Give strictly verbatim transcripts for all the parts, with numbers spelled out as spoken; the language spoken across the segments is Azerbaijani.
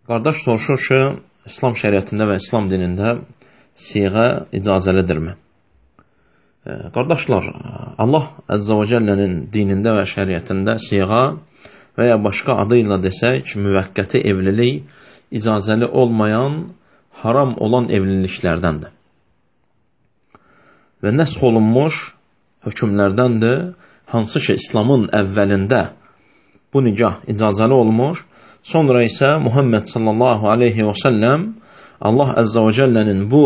Qardaş soruşur ki, İslam şəriətində və İslam dinində siğə icazəlidirmi? E, qardaşlar, Allah Əzzə və Cəllənin dinində və şəriətində siğə və ya başqa adı ilə desək, müvəqqəti evlilik icazəli olmayan, haram olan evliliklərdəndir. Və nəsx olunmuş hökmlərdəndir, hansı ki, İslamın əvvəlində bu nikah icazəli olmuş, sonra isə Muhammed sallallahu aleyhi və səlləm Allah Əzzə və Cəllənin bu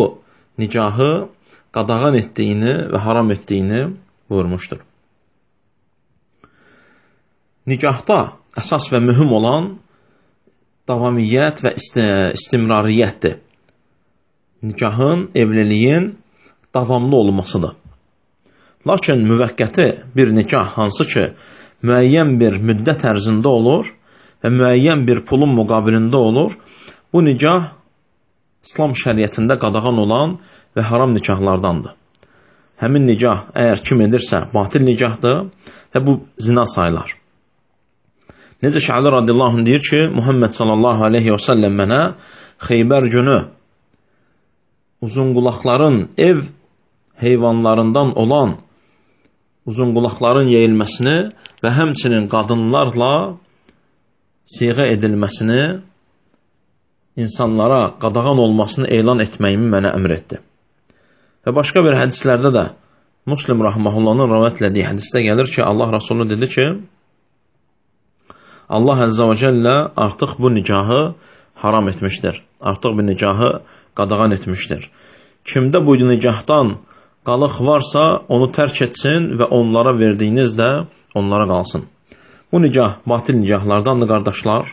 nikahı qadağan etdiyini və haram etdiyini buyurmuşdur. Nikahda əsas və mühüm olan davamiyyət və istimrariyyətdir. Nikahın, evliliyin davamlı olmasıdır. Lakin müvəqqəti bir nikah hansı ki, müəyyən bir müddət ərzində olur və müəyyən bir pulun müqabilində olur, bu nikah İslam şəriətində qadağan olan və haram nikahlardandır. Həmin nikah əgər kim edirsə, batil nikahdır və bu zina sayılar. Necə ki, Ali radiyallahu anh deyir ki, Muhammed sallallahu aleyhi və səlləm mənə Xeybər günü uzunqulaqların ev heyvanlarından olan uzunqulaqların yeyilməsini və həmçinin qadınlarla siğə edilməsini, insanlara qadağan olmasını elan etməyimi mənə əmr etdi. Və başqa bir hədislərdə də Müslim Rahmahullahın rəvayət etdiyi hədisdə gəlir ki, Allah Rasulü dedi ki, Allah Əzzə və Cəllə artıq bu nikahı haram etmişdir. Artıq bu nikahı qadağan etmişdir. Kimdə bu nikahdan qalıq varsa, onu tərk etsin və onlara verdiyiniz də onlara qalsın. Bu nikah batil nikahlardandır, qardaşlar.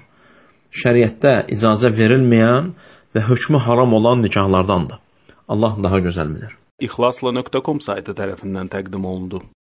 Şəriətdə icazə verilməyən və hökmü haram olan nikahlardandır. Allah daha gözəl bilir. İxlasla nöqtə com saytı tərəfindən təqdim olundu.